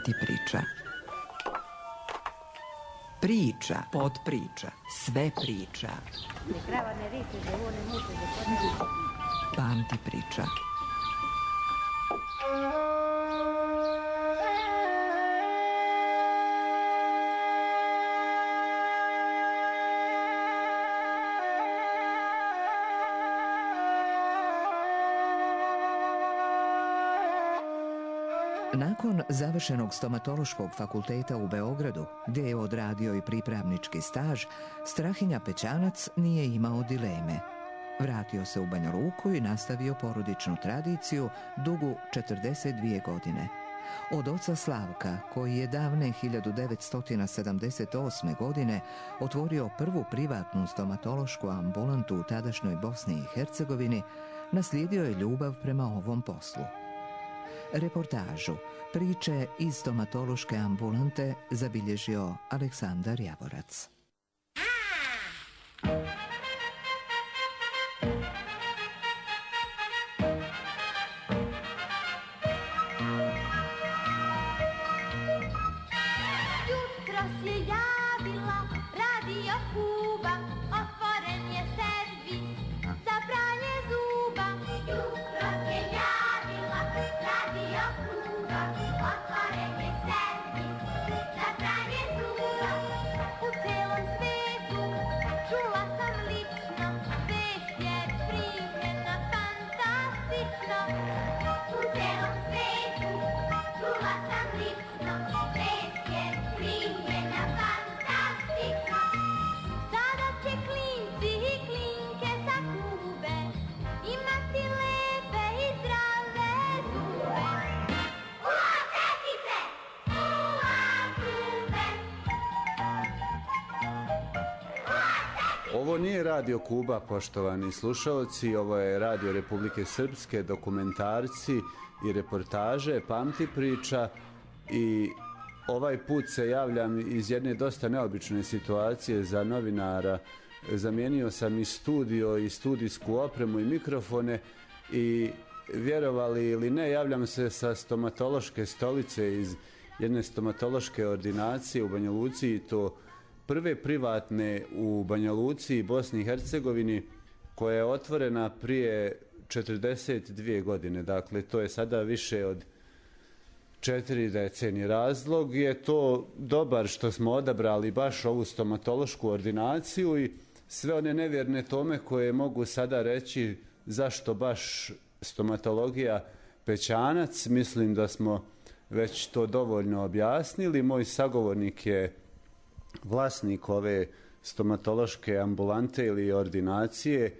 Pamti priča. Priča, podpriča, sve priča. Pamti priča. Nakon završenog stomatološkog fakulteta u Beogradu, gdje je odradio i pripravnički staž, Strahinja Pećanac nije imao dileme. Vratio se u Banja Luku i nastavio porodičnu tradiciju dugu 42 godine. Od oca Slavka, koji je davne 1978. godine otvorio prvu privatnu stomatološku ambulantu u tadašnjoj Bosni i Hercegovini, naslijedio je ljubav prema ovom poslu. Reportažu priče iz stomatološke ambulante zabilježio Aleksandar Javorac. Jutro se javila Radio Kuba, otvoren je servis za pranje zuba. Jutro se javila Radio Kuba, otvoren je servis za pranje zuba. U celom svetu čula sam lično, vest je primljena fantastično. U celom svetu čula sam lično, vest je primljena fantastično. Sada će klinci i klinke sa Kube imati lepe i zdrave zube. Ula tekice, ula Kube. Ovo nije Radio Kuba, poštovani slušalci, ovo je Radio Republike Srpske, dokumentarci i reportaže, Pamti priča, i ovaj put se javljam iz jedne dosta neobične situacije za novinara. Zamijenio sam i studio i studijsku opremu i mikrofone i, vjerovali ili ne, javljam se sa stomatološke stolice iz jedne stomatološke ordinacije u Banja Luci, i to prve privatne u Banja Luci i Bosni i Hercegovini, koja je otvorena prije 42 godine. Dakle, to je sada više od 4 decenije. Razlog je to dobar što smo odabrali baš ovu stomatološku ordinaciju i sve one nevjerne tome koje mogu sada reći zašto baš stomatologija Pećanac. Mislim da smo već to dovoljno objasnili. Moj sagovornik je vlasnik ove stomatološke ambulante ili ordinacije,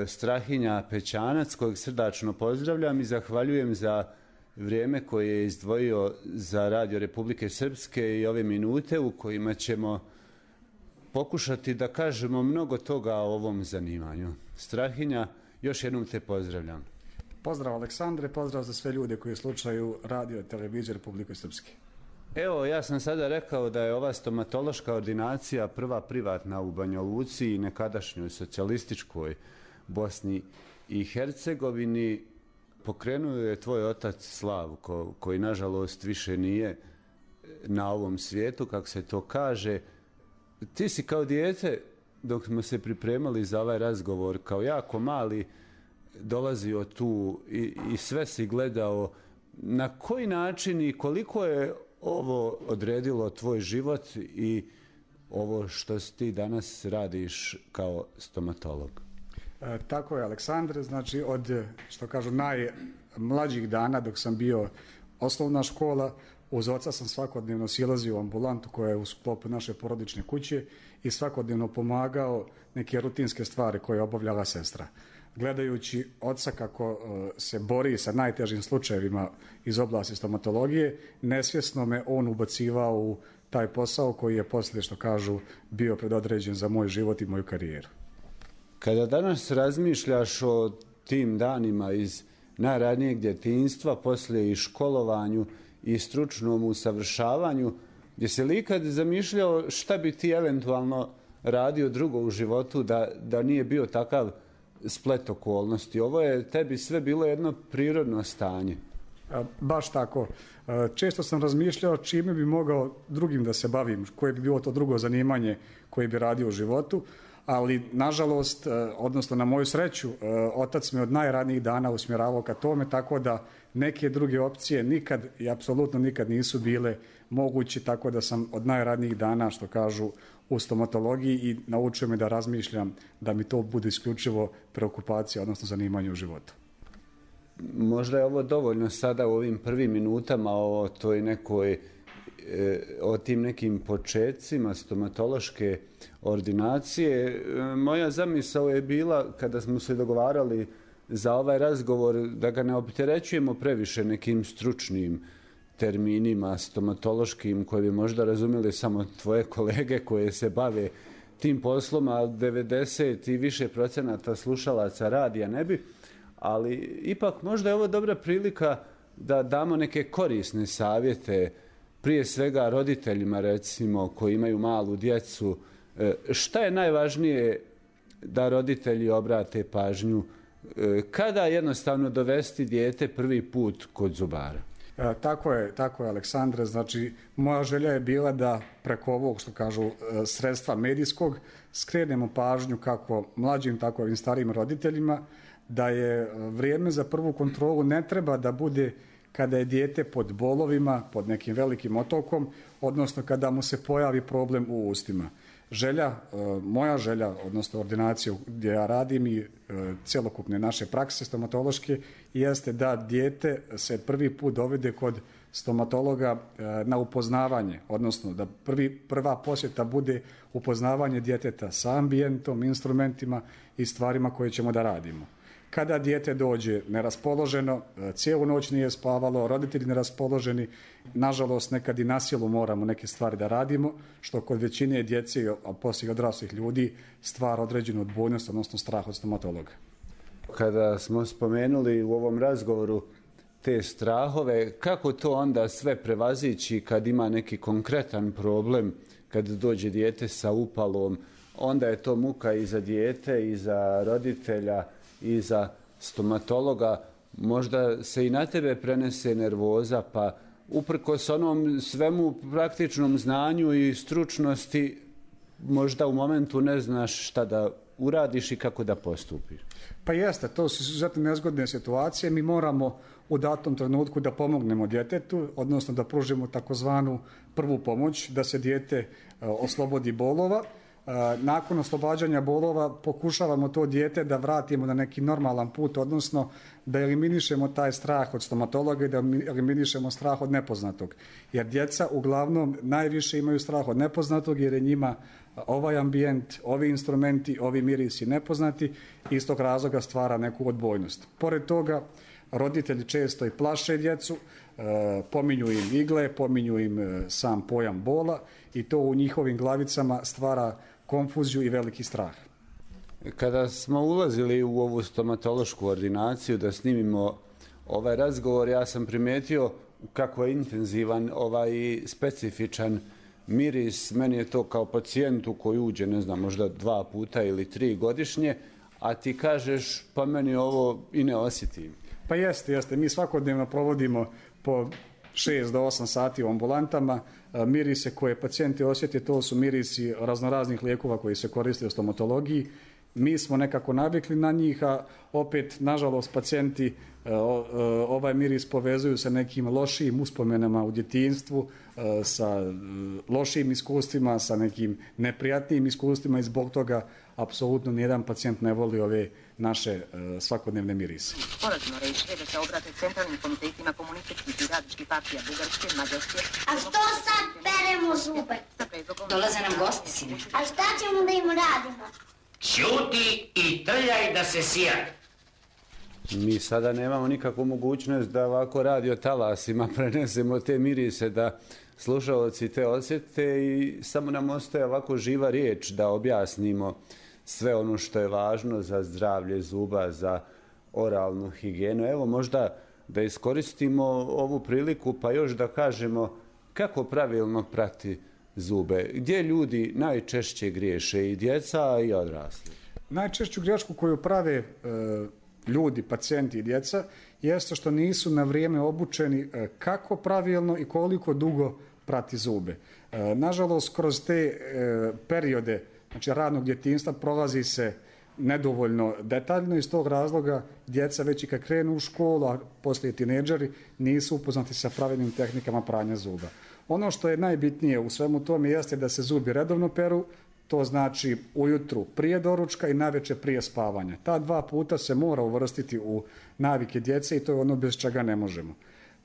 Strahinja Pećanac, kojeg srdačno pozdravljam i zahvaljujem za vrijeme koje je izdvojio za Radio Republike Srpske i ove minute u kojima ćemo pokušati da kažemo mnogo toga o ovom zanimanju. Strahinja, još jednom te pozdravljam. Pozdrav Aleksandre, pozdrav za sve ljude koji slušaju Radio i televiziju Republike Srpske. Evo, ja sam sada rekao da je ova stomatološka ordinacija prva privatna u Banja Luci i nekadašnjoj socijalističkoj Bosni i Hercegovini. Pokrenuo je tvoj otac Slavko, koji nažalost više nije na ovom svijetu, kako se to kaže. Ti si kao dijete, dok smo se pripremali za ovaj razgovor, kao jako mali, dolazio tu i sve si gledao. Na koji način i koliko je ovo odredilo tvoj život i ovo što ti danas radiš kao stomatolog? Tako je, Aleksandre, znači od, što kažu, najmlađih dana dok sam bio osnovna škola, uz oca sam svakodnevno silazio u ambulantu koja je u sklopu naše porodične kuće i svakodnevno pomagao neke rutinske stvari koje je obavljala sestra. Gledajući oca kako se bori sa najtežim slučajevima iz oblasti stomatologije, nesvjesno me on ubacivao u taj posao koji je poslije, što kažu, bio predodređen za moj život i moju karijeru. Kada danas razmišljaš o tim danima iz najranijeg djetinjstva, poslije i školovanju i stručnom usavršavanju, jesi li ikad zamišljao šta bi ti eventualno radio drugo u životu da nije bio takav splet okolnosti? Ovo je tebi sve bilo jedno prirodno stanje. Baš tako. Često sam razmišljao čime bi mogao drugim da se bavim, koje bi bilo to drugo zanimanje koje bi radio u životu, ali nažalost, odnosno na moju sreću, otac me od najranijih dana usmjeravao ka tome, tako da neke druge opcije nikad i apsolutno nikad nisu bile mogući, tako da sam od najranijih dana, što kažu, u stomatologiji i naučio me da razmišljam da mi to bude isključivo preokupacija, odnosno zanimanje u životu. Možda je ovo dovoljno sada u ovim prvim minutama o toj nekoj, o tim nekim počecima stomatološke ordinacije. Moja zamisao je bila, kada smo se dogovarali za ovaj razgovor, da ga ne opterećujemo previše nekim stručnim terminima stomatološkim koje bi možda razumjeli samo tvoje kolege koje se bave tim poslom, a 90 i više procenata slušalaca radija ne bi. Ali ipak možda je ovo dobra prilika da damo neke korisne savjete, prije svega roditeljima recimo koji imaju malu djecu. Šta je najvažnije da roditelji obrate pažnju? Kada jednostavno dovesti dijete prvi put kod zubara? Tako je, Aleksandre. Znači, moja želja je bila da preko ovog, što kažu, sredstva medijskog skrenemo pažnju kako mlađim, tako i starijim roditeljima, da je vrijeme za prvu kontrolu ne treba da bude kada je dijete pod bolovima, pod nekim velikim otokom, odnosno kada mu se pojavi problem u ustima. Moja želja, odnosno ordinaciju gdje ja radim i cjelokupne naše prakse stomatološke, jeste da dijete se prvi put dovede kod stomatologa na upoznavanje, odnosno da prva posjeta bude upoznavanje djeteta sa ambijentom, instrumentima i stvarima koje ćemo da radimo. Kada dijete dođe neraspoloženo, cijelu noć nije spavalo, roditelji neraspoloženi, nažalost nekad i na silu moramo neke stvari da radimo, što kod većine djece, a poslije odraslih ljudi, stvara određenu odbojnost, odnosno strah od stomatologa. Kada smo spomenuli u ovom razgovoru te strahove, kako to onda sve prevazići kad ima neki konkretan problem, kad dođe dijete sa upalom, onda je to muka i za dijete i za roditelja i za stomatologa. Možda se i na tebe prenese nervoza, pa uprkos onom svemu praktičnom znanju i stručnosti, možda u momentu ne znaš šta da uradiš i kako da postupiš. Pa jeste, to su izuzetno nezgodne situacije. Mi moramo u datom trenutku da pomognemo djetetu, odnosno da pružimo takozvanu prvu pomoć, da se dijete oslobodi bolova. Nakon oslobađanja bolova pokušavamo to dijete da vratimo na neki normalan put, odnosno da eliminišemo taj strah od stomatologa i da eliminišemo strah od nepoznatog. Jer djeca uglavnom najviše imaju strah od nepoznatog jer je njima ovaj ambijent, ovi instrumenti, ovi mirisi nepoznati i iz tog razloga stvara neku odbojnost. Pored toga, roditelji često i plaše djecu, pominju im igle, pominju im sam pojam bola i to u njihovim glavicama stvara konfuziju i veliki strah. Kada smo ulazili u ovu stomatološku ordinaciju da snimimo ovaj razgovor, ja sam primijetio kako je intenzivan ovaj specifičan miris. Meni je to kao pacijentu koji uđe, ne znam, možda 2 puta ili 3 godišnje, a ti kažeš pa meni ovo i ne osjetim. Pa jeste. Mi svakodnevno provodimo po 6 do 8 sati u ambulantama. Mirise koje pacijenti osjete, to su mirisi raznoraznih lijekova koji se koriste u stomatologiji. Mi smo nekako navikli na njih, a opet, nažalost, pacijenti ovaj miris povezuju sa nekim lošijim uspomenama u djetinjstvu, sa lošijim iskustvima, sa nekim neprijatnijim iskustvima i zbog toga apsolutno nijedan pacijent ne voli ove naše svakodnevne mirise. Sporazumno rešili da se obrate centralnim komitetima komunističkih i radničkih partija Bugarske, Mađarske... A što sad peremo zube? Dolaze nam gosti, sine. A šta ćemo da im radimo? Ćuti i trljaj da se sija. Mi sada nemamo nikakvu mogućnost da ovako radio talasima prenesemo te mirise, da slušalci te osjete i samo nam ostaje ovako živa riječ da objasnimo sve ono što je važno za zdravlje zuba, za oralnu higijenu. Evo možda da iskoristimo ovu priliku pa još da kažemo kako pravilno prati zube. Gdje ljudi najčešće griješe, i djeca i odrasli? Najčešću grešku koju prave ljudi, pacijenti i djeca, jeste što nisu na vrijeme obučeni kako pravilno i koliko dugo prati zube. Nažalost, kroz te periode, znači radnog djetinjstva, prolazi se nedovoljno detaljno, iz tog razloga djeca već i kad krenu u školu, a poslije tinejdžeri, nisu upoznati sa pravilnim tehnikama pranja zuba. Ono što je najbitnije u svemu tome jeste da se zubi redovno peru, to znači ujutru prije doručka i navečer prije spavanja. Ta 2 puta se mora uvrstiti u navike djece i to je ono bez čega ne možemo.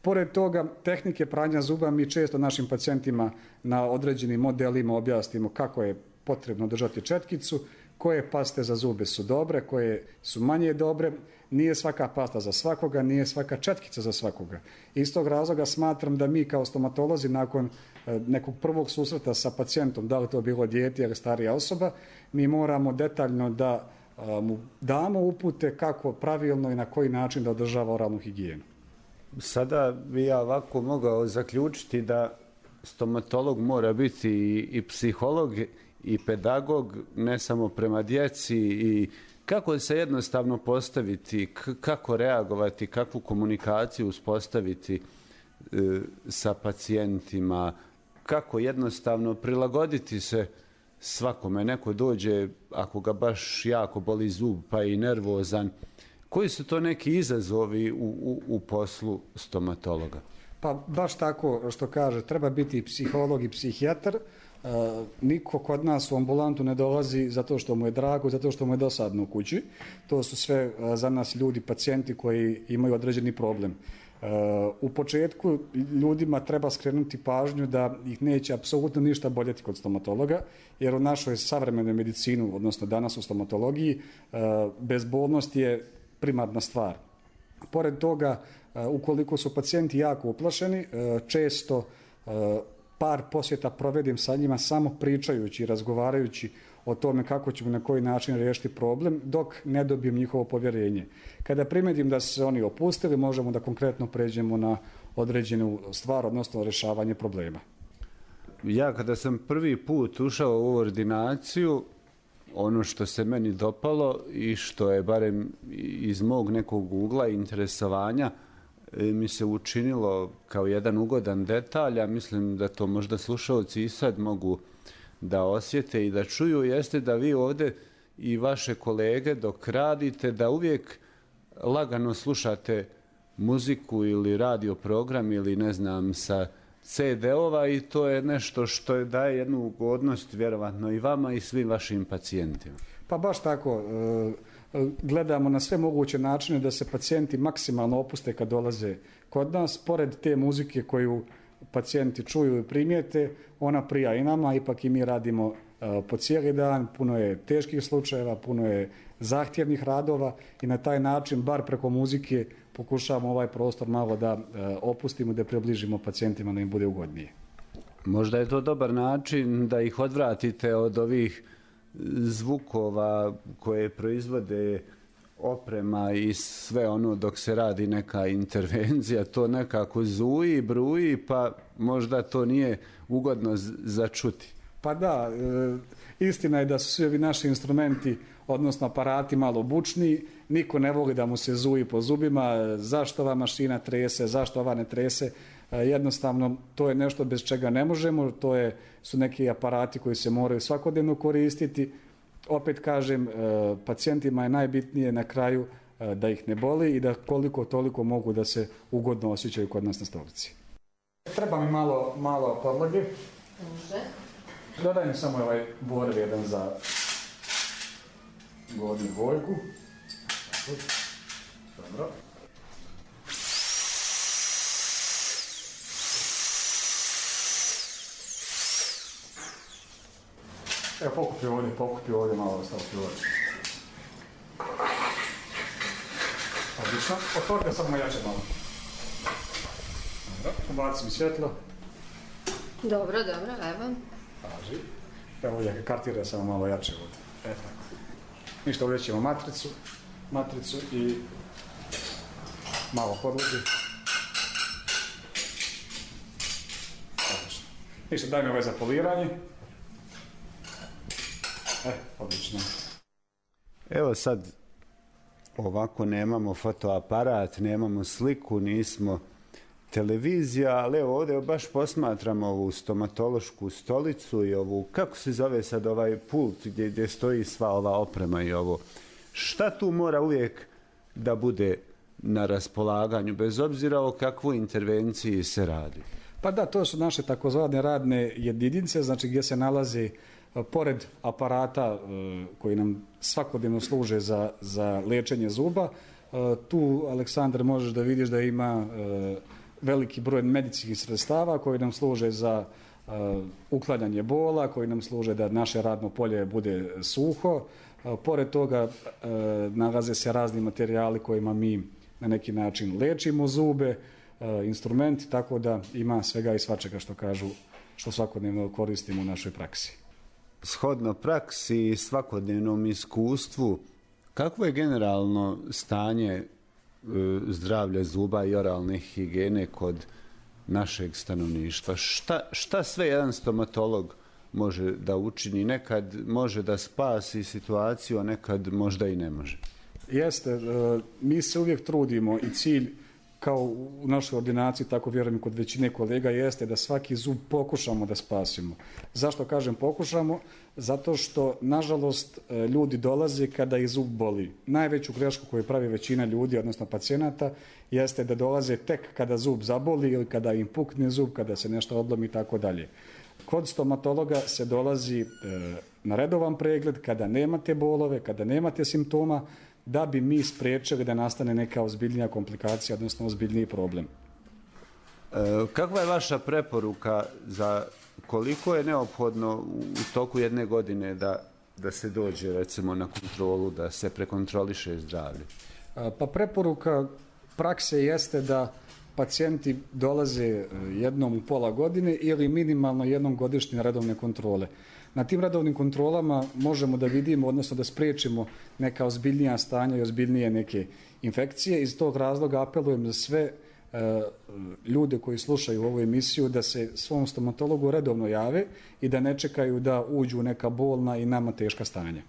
Pored toga, tehnike pranja zuba mi često našim pacijentima na određenim modelima objasnimo kako je potrebno držati četkicu, koje paste za zube su dobre, koje su manje dobre. Nije svaka pasta za svakoga, nije svaka četkica za svakoga. Iz tog razloga smatram da mi kao stomatolozi nakon nekog prvog susreta sa pacijentom, da li to bilo dijete ili starija osoba, mi moramo detaljno da mu damo upute kako pravilno i na koji način da održava oralnu higijenu. Sada bi ja ovako mogao zaključiti da stomatolog mora biti i psiholog i pedagog, ne samo prema djeci, i kako se jednostavno postaviti, kako reagovati, kakvu komunikaciju uspostaviti sa pacijentima, kako jednostavno prilagoditi se svakome. Neko dođe, ako ga baš jako boli zub pa i nervozan. Koji su to neki izazovi u poslu stomatologa? Pa baš tako što kaže, treba biti i psiholog i psihijatar. Niko kod nas u ambulantu ne dolazi zato što mu je drago, zato što mu je dosadno u kući. To su sve za nas ljudi, pacijenti koji imaju određeni problem. U početku ljudima treba skrenuti pažnju da ih neće apsolutno ništa boljeti kod stomatologa, jer u našoj savremenoj medicini, odnosno danas u stomatologiji, bezbolnost je primarna stvar. Pored toga, ukoliko su pacijenti jako uplašeni, često par posjeta provedim sa njima samo pričajući i razgovarajući o tome kako ćemo na koji način riješiti problem, dok ne dobijem njihovo povjerenje. Kada primetim da su se oni opustili, možemo da konkretno pređemo na određenu stvar, odnosno rješavanje problema. Ja kada sam prvi put ušao u ordinaciju, ono što se meni dopalo i što je barem iz mog nekog ugla interesovanja mi se učinilo kao jedan ugodan detalj, a mislim da to možda slušalci i sad mogu da osjete i da čuju, jeste da vi ovdje i vaše kolege dok radite, da uvijek lagano slušate muziku ili radio program ili ne znam sa CD-ova, i to je nešto što daje jednu ugodnost vjerovatno i vama i svim vašim pacijentima. Pa baš tako. Gledamo na sve moguće načine da se pacijenti maksimalno opuste kad dolaze kod nas. Pored te muzike koju pacijenti čuju i primijete, ona prija i nama, ipak i mi radimo po cijeli dan, puno je teških slučajeva, puno je zahtjevnih radova i na taj način, bar preko muzike, pokušavamo ovaj prostor malo da opustimo, da približimo pacijentima da im bude ugodnije. Možda je to dobar način da ih odvratite od ovih zvukova koje proizvode oprema i sve ono dok se radi neka intervencija, to nekako zuji, bruji, pa možda to nije ugodno za čuti. Pa da, istina je da su svi ovi naši instrumenti, odnosno aparati, malo bučni, niko ne voli da mu se zuji po zubima, zašto ova mašina trese, zašto ova ne trese. Jednostavno, to je nešto bez čega ne možemo, su neki aparati koji se moraju svakodnevno koristiti. Opet kažem, pacijentima je najbitnije na kraju da ih ne boli i da koliko toliko mogu da se ugodno osjećaju kod nas na stolici. Treba mi malo podloge. Dodaj mi samo ovaj borev jedan za gornju boljku. Dobro. Evo, pokupi ovdje malo staviti ovdje. Odlično. Otvorite samo jače malo. Dobro, ubaci mi svjetlo. Dobro, evo. Paži. Evo ovdje kartira samo malo jače ovdje. Tako. Ništa, ovdje ćemo matricu i malo podlogi. Odlično. Ništa, daj mi ovaj za poliranje. Odlično. Evo sad ovako nemamo fotoaparat, nemamo sliku, nismo televizija, ali evo ovdje baš posmatramo ovu stomatološku stolicu i ovu, kako se zove sad ovaj pult gdje stoji sva ova oprema i ovo. Šta tu mora uvijek da bude na raspolaganju, bez obzira o kakvoj intervenciji se radi? Pa da, to su naše takozvane radne jedinice, znači gdje se nalazi pored aparata koji nam svakodnevno služe za liječenje zuba. Tu, Aleksandar, možeš da vidiš da ima veliki broj medicinskih sredstava koji nam služe za uklanjanje bola, koji nam služe da naše radno polje bude suho. Pored toga nalaze se razni materijali kojima mi na neki način lečimo zube, instrumenti, tako da ima svega i svačega što kažu, što svakodnevno koristimo u našoj praksi. Shodno praksi i svakodnevnom iskustvu, kakvo je generalno stanje zdravlja zuba i oralne higijene kod našeg stanovništva? Šta sve jedan stomatolog može da učini? Nekad može da spasi situaciju, a nekad možda i ne može. Jeste, mi se uvijek trudimo i cilj kao u našoj ordinaciji, tako vjerujem i kod većine kolega, jeste da svaki zub pokušamo da spasimo. Zašto kažem pokušamo? Zato što, nažalost, ljudi dolaze kada ih zub boli. Najveću grešku koju pravi većina ljudi, odnosno pacijenata, jeste da dolaze tek kada zub zaboli ili kada im pukne zub, kada se nešto odlomi i tako dalje. Kod stomatologa se dolazi na redovan pregled kada nemate bolove, kada nemate simptoma, da bi mi spriječili da nastane neka ozbiljnija komplikacija, odnosno ozbiljniji problem. Kakva je vaša preporuka za koliko je neophodno u toku jedne godine da se dođe recimo na kontrolu, da se prekontroliše zdravlje? Pa preporuka prakse jeste da pacijenti dolaze jednom u pola godine ili minimalno jednom godišnje na redovne kontrole. Na tim redovnim kontrolama možemo da vidimo, odnosno da spriječimo neka ozbiljnija stanja i ozbiljnije neke infekcije. Iz tog razloga apelujem za sve ljude koji slušaju ovu emisiju da se svom stomatologu redovno jave i da ne čekaju da uđu u neka bolna i nama teška stanja.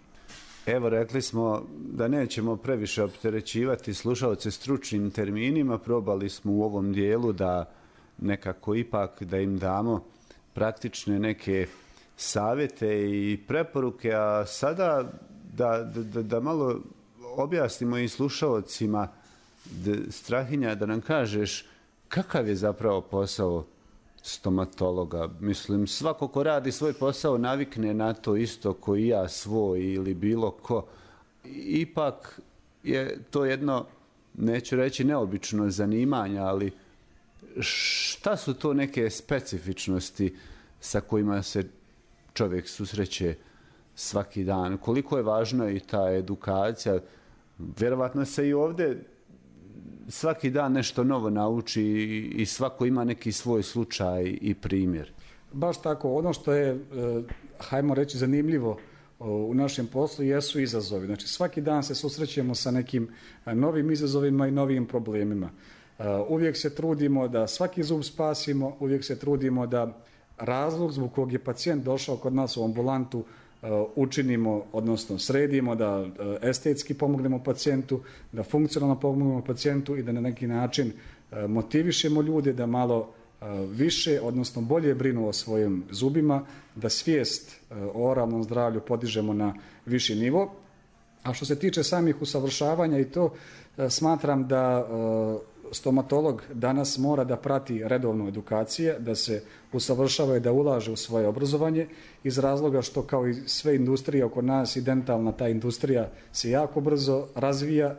Evo, rekli smo da nećemo previše opterećivati slušalce stručnim terminima, probali smo u ovom dijelu da nekako ipak da im damo praktične neke savjete i preporuke, a sada da malo objasnimo i slušalcima, Strahinja, da nam kažeš kakav je zapravo posao stomatologa. Mislim, svako ko radi svoj posao navikne na to isto ko i ja svoj ili bilo ko. Ipak je to jedno, neću reći neobično zanimanje, ali šta su to neke specifičnosti sa kojima se čovjek susreće svaki dan? Koliko je važna i ta edukacija? Vjerovatno se i ovdje svaki dan nešto novo nauči i svako ima neki svoj slučaj i primjer. Baš tako. Ono što je, hajmo reći, zanimljivo u našem poslu jesu izazovi. Znači, svaki dan se susrećemo sa nekim novim izazovima i novim problemima. Uvijek se trudimo da svaki zub spasimo, uvijek se trudimo da razlog zbog kog je pacijent došao kod nas u ambulantu učinimo, odnosno sredimo, da estetski pomognemo pacijentu, da funkcionalno pomognemo pacijentu i da na neki način motivišemo ljude da malo više, odnosno bolje brinu o svojim zubima, da svijest o oralnom zdravlju podižemo na viši nivo. A što se tiče samih usavršavanja i to, smatram da stomatolog danas mora da prati redovnu edukacije, da se usavršava i da ulaže u svoje obrazovanje, iz razloga što, kao i sve industrije oko nas, i dentalna ta industrija se jako brzo razvija,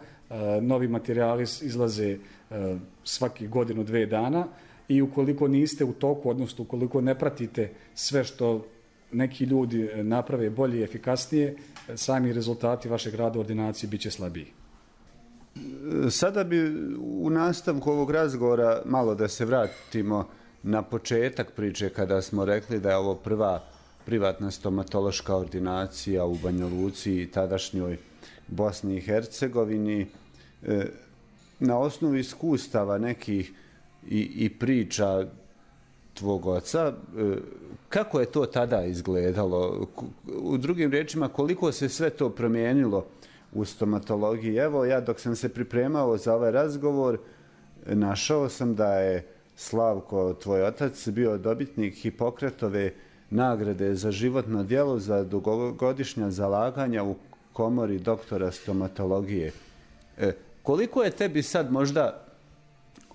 novi materijali izlaze svaki godinu, 2 dana, i ukoliko niste u toku, odnosno ukoliko ne pratite sve što neki ljudi naprave bolje i efikasnije, sami rezultati vašeg rada u ordinaciji bit će slabiji. Sada bi u nastavku ovog razgovora malo da se vratimo na početak priče kada smo rekli da je ovo prva privatna stomatološka ordinacija u Banja Luci i tadašnjoj Bosni i Hercegovini. Na osnovu iskustava nekih i priča tvog oca, kako je to tada izgledalo? U drugim riječima, koliko se sve to promijenilo u stomatologiji. Evo, ja dok sam se pripremao za ovaj razgovor, našao sam da je Slavko, tvoj otac, bio dobitnik Hipokratove nagrade za životno djelo za dugogodišnja zalaganja u komori doktora stomatologije. Koliko je tebi sad možda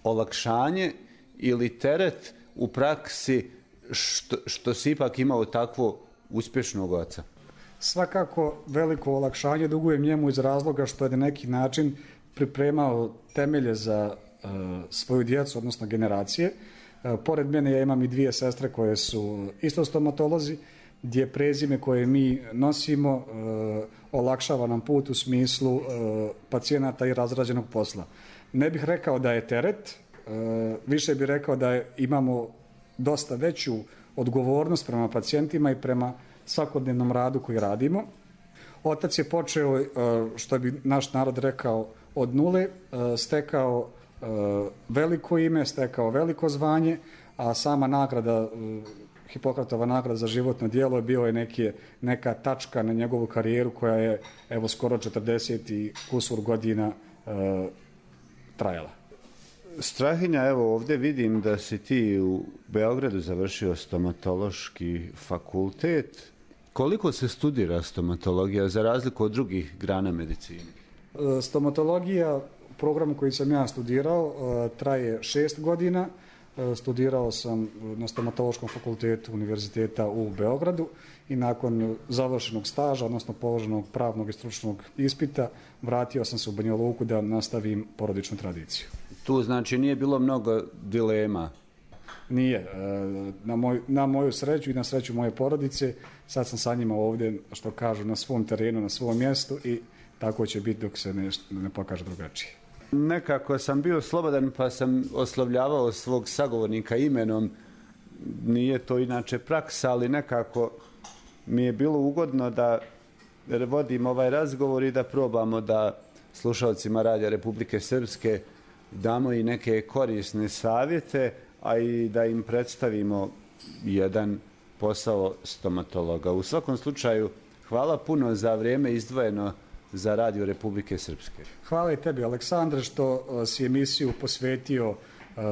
olakšanje ili teret u praksi što si ipak imao takvo uspješnog oca? Svakako veliko olakšanje dugujem njemu iz razloga što je na neki način pripremao temelje za svoju djecu, odnosno generacije. Pored mene ja imam i 2 sestre koje su isto stomatolozi, gdje prezime koje mi nosimo olakšava nam put u smislu pacijenata i razrađenog posla. Ne bih rekao da je teret, više bih rekao da imamo dosta veću odgovornost prema pacijentima i prema svakodnevnom radu koji radimo. Otac je počeo, što bi naš narod rekao, od nule, stekao veliko ime, stekao veliko zvanje, a sama nagrada, Hipokratova nagrada za životno djelo, bio je neka tačka na njegovu karijeru koja je evo skoro 40 i kusur godina trajala. Strahinja, evo ovdje vidim da si ti u Beogradu završio stomatološki fakultet. Koliko se studira stomatologija za razliku od drugih grana medicine? Stomatologija, program koji sam ja studirao, traje 6 godina. Studirao sam na stomatološkom fakultetu Univerziteta u Beogradu i nakon završenog staža, odnosno položenog pravnog i stručnog ispita, vratio sam se u Banja Luku da nastavim porodičnu tradiciju. Tu znači nije bilo mnogo dilema? Nije. Na moju sreću i na sreću moje porodice, sad sam sa njima ovdje, što kažu, na svom terenu, na svom mjestu i tako će biti dok se ne pokaže drugačije. Nekako sam bio slobodan pa sam oslovljavao svog sagovornika imenom. Nije to inače praksa, ali nekako mi je bilo ugodno da vodim ovaj razgovor i da probamo da slušalcima Radija Republike Srpske damo i neke korisne savjete, a i da im predstavimo jedan posao stomatologa. U svakom slučaju, hvala puno za vrijeme izdvojeno za Radio Republike Srpske. Hvala i tebi, Aleksandre, što si emisiju posvetio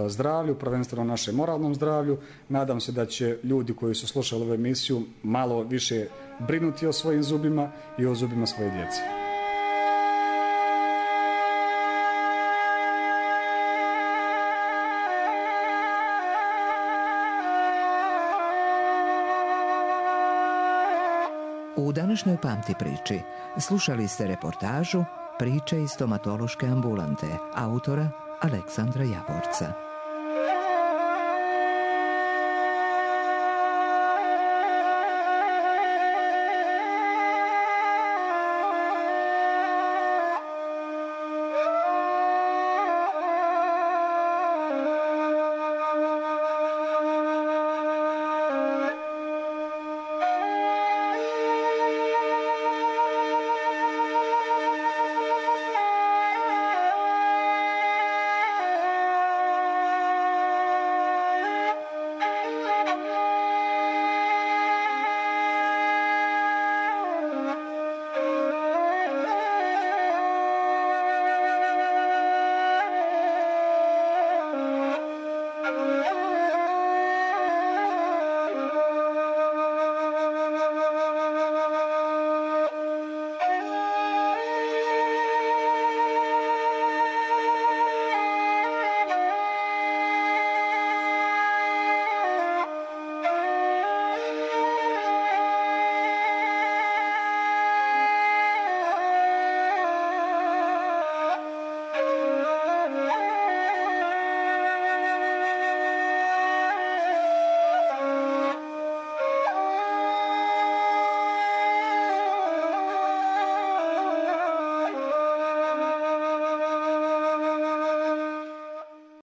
zdravlju, prvenstveno našem moralnom zdravlju. Nadam se da će ljudi koji su slušali ovu emisiju malo više brinuti o svojim zubima i o zubima svoje djece. U današnjoj Pamti priči slušali ste reportažu Priče iz stomatološke ambulante autora Aleksandra Javorca.